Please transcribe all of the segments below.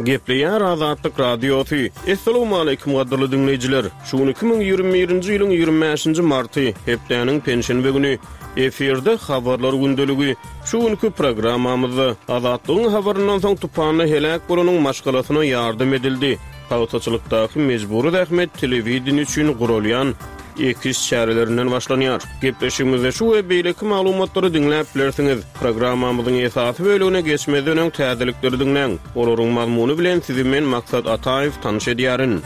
Gepleýär Azatlyk Radiosy. Essalawmaleýkim gadyrly diňleýjiler! Şu gün 2021-nji ýylyň 25-nji marty, hepdäniň penşenbe güni. Efirde Habarlar gündeligi. Şu günki programmamyzda, Azatlygyň habaryndan soň tupanda heläk bolanyň maşgalasyna ýardam edildi. Pagtaçylykdaky mejbury zähmet telewideniýe üçin guralýan ekiş çärelerinden başlanýar. Gepleşigimizde şu we beýleki maglumatlary diňläp bilersiňiz. Programmamyzyň esasy bölegine geçmezden öň täzelikleri diňläň. Olaryň mazmuny bilen sizi men Maksat Ataýew tanyş edýärin.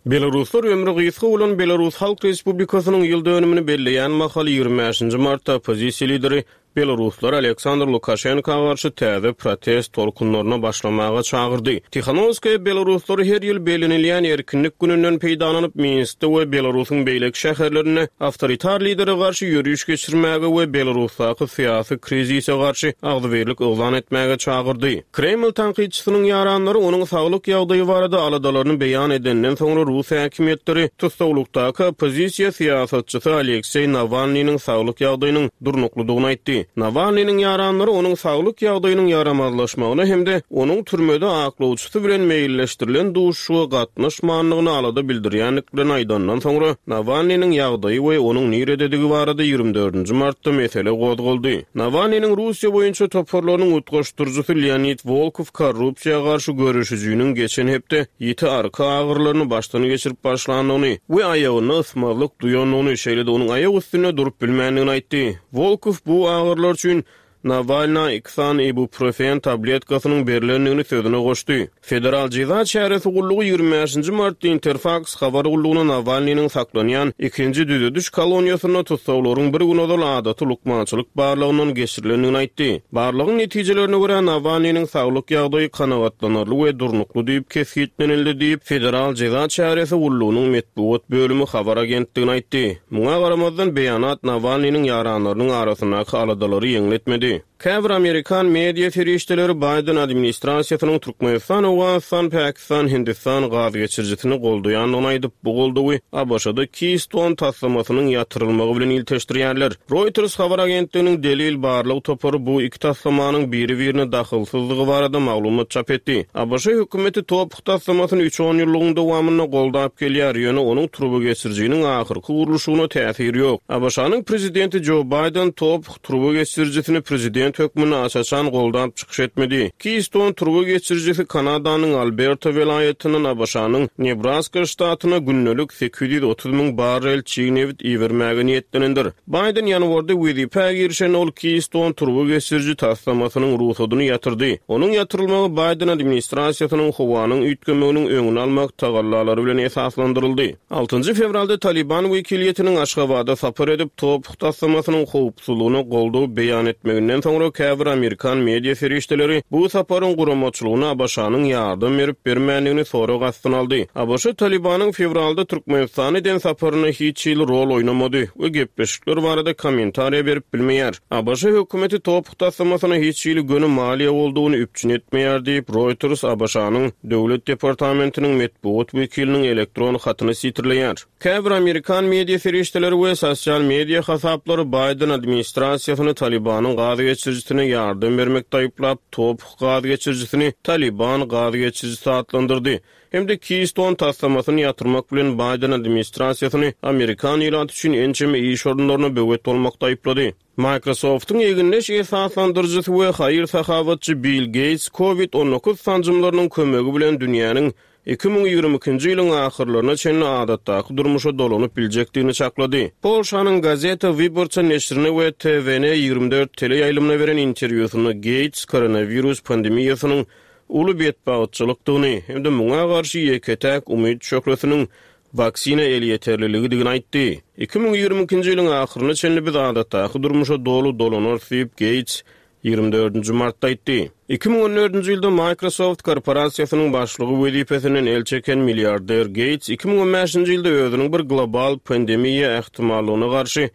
Belaruslar ömri gysga bolan Belarus Halk Respublikasynyň ýyl dönümini belleýän mahaly 25-nji martda oppozisiýa lideri belaruslar Aleksandr Lukaşenka garşy täze protest tolkunlaryna başlamaga çagyrdy. Tihanowskaýa belaruslary her ýyl bellenilýän Erkinlik gününden peýdalanyp, Minskde we Belarusyň beýleki şäherlerinde awtoritar lidere garşy ýöriş geçirmäge we Belarusdaky syýasy krizise garşy agzybirlik yglan etmäge çagyrdy. Kreml tankytçysynyň ýaranlary onuň saglyk ýagdaýy barada aladalaryny beýan edenden soňra rus häkimiýetleri tussaglykdaky oppozisiýa syýasatçysy Alekseý Nawalnynyň saglyk ýagdaýynyň durnuklydygyny aýtdy. Nawalnynyň ýaranlary onuň saglyk ýagdaýynyň ýaramazlaşmagyna hem-de onuň türmede aklawçysy bilen meýilleşdirilen duşuşyga gatnaşmandygyna alada bildirýändiklerini aýdandan soňra Nawalnynyň ýagdaýy we onuň nirededigi barada 24-nji martda mesele gozgaldy. Nawalnynyň Russiýa boýunça toparlarynyň utgaşdyryjysy Leonid Wolkow korrupsiýa garşy göreşijiniň geçen hepde ýiti arka agyrylaryny başdan geçirip başlandygyny we aýagynda ysmazlyk duýandygyny, şeýle-de onuň aýak üstünde durup bilmändigini aýtdy. Wolkow bu agyrylar üçin Nawalna iki sany ibuprofen tabletkasynyň berlendigini sözüne goşdy. Federal jeza çäresi gullugy 25-nji martda Interfaks habar gullugyna Nawalnynyň saklanýan ikinji düzediş koloniýasynda tussaglaryň bir gün ozal adaty lukmançylyk barlagyndan geçirilendigini aýtdy. Barlagyň netijelerine görä, Nawalnynyň saglyk ýagdaýy kanagatlanarly we durnukly diýip kesgitlenildi diýip, Federal jeza çäresi gullugynyň metbugat bölümi habar agentligine aýtdy. Muňa garamazdan, beýanat Nawalnynyň ýaranlarynyň arasyndaky aladalary ýeňletmedi. Käbir amerikan media serişdeleri Baýden administrasiýasynyň Türkmenistan, Owganystan, Pakistan, Hindistan gaz geçirijisini goldaýandygyny aýdyp, bu goldawy ABŞ-da Keystone taslamasynyň ýatyrylmagy bilen ilteşdirýärler. Reuters habar agentliginiň delil barlag topary bu iki taslamanyň biri-birine dahylsyzdygy barada maglumat çap etdi. ABŞ hökümeti TOPH taslamasyny üç onýyllygyň dowamynda goldap gelýär, ýöne onuň turbageçirijiniň ahyrky gurluşygyna täsiri ýok. ABŞ-nyň prezidenti Jo Baýden TOPH Turba geçirijisini prezident hökmünde aç-açan goldap çykyş etmedi. Keystone turba geçirijisi Kanadanyň Alberta welaýatyndan ABŞ-nyň Nebraska ştatyna gündelik 830 müň barrel çig nebit ibermäge niýetlenendir. Baýden ýanwarda wezipä girişende ol Keystone turba geçiriji taslamasynyň rugsadyny ýatyrdy. Onuň ýatyrylmagy Baýden administrasiýasynyň howanyň üýtgemeginiň öňüni almak tagallalary bilen esaslandyryldy. Altynjy fewralda Talyban wekiliýetiniň Aşgabada sapar edip, TOPH taslamasynyň howpsuzlygyna goldaw beýan etmeginden soňra käbir amerikan media serişdeleri bu saparyň guramaçylygyna ABŞ-nyň ýardam berip-bermändigini sorag astyna aldy. ABŞ Talybanyň fewralda Türkmenistana eden saparynda hiç hili rol oýnamady we gepleşikler barada kommentariýa berip bilmeýär. ABŞ hökümeti TOPH taslamasyna hiç hili göni maliýe goldawyny üpjün etmeýär diýip, Reuters ABŞ-nyň Döwlet departamentiniň metbugat wekiliniň elektron hatyny sitirleýär. Käbir amerikan media serişdeleri we sosial media hasaplary Baýden administrasiýasyny Talybanyň gaz geçirijisine ýardam bermekde aýyplap, TOPH gaz geçirijisini Talyban gaz geçirijisi atlandyrdy hem-de Keystone taslamasyny ýatyrmak bilen Baýden administrasiýasyny amerikan ilaty üçin ençeme iş orunlaryna böwet bolmakda aýyplady. Microsoft-yň egindeş esaslandyryjysy we haýyr-sahawatçy Bill Geýts Covid 19 sanjymlarynyň kömegi bilen dünýäniň 2022-nji ýylyň ahyrlaryna çenli adatdaky durmuşa dolanyp biljekdigini çaklady. Polşanyň Gazeta Wyborcza neşirine we TVN 24 teleýaýlymyna beren interwýusynda Geýts koronawirus pandemiýasynyň uly betbagtçylykdygyny hem-de muňa garşy ýeke-täk umyt şöhlesiniň waksina elýeterliligidigini aýtdy. 2022-nji ýylyň ahyryna çenli biz adatdaky durmuşa doly dolanarys diýip, Geýts ýigrimi dördünji martda aýtdy. 2014-nji ýylda Microsoft korporasiýasynyň başlygy wezipesinden el çeken milliarder Geýts 2015-nji ýylda özüniň bir global pandemiýa ähtimallygyna garşy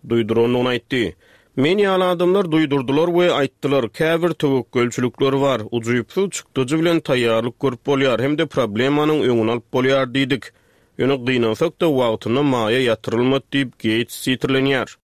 duýdurandygyny aýtdy. Men ýaly adamlar duýdurdylar we aýtdylar, käbir töwekgelçilikler bar, ujypsyz çykdajy bilen taýýarlyk görüp bolýar hem-de problemanyň öňüni alyp bolýar diýdik. Ýöne gynansak-da, wagtynda maýa ýatyrylmady diýip, Geýts sitirlenýär.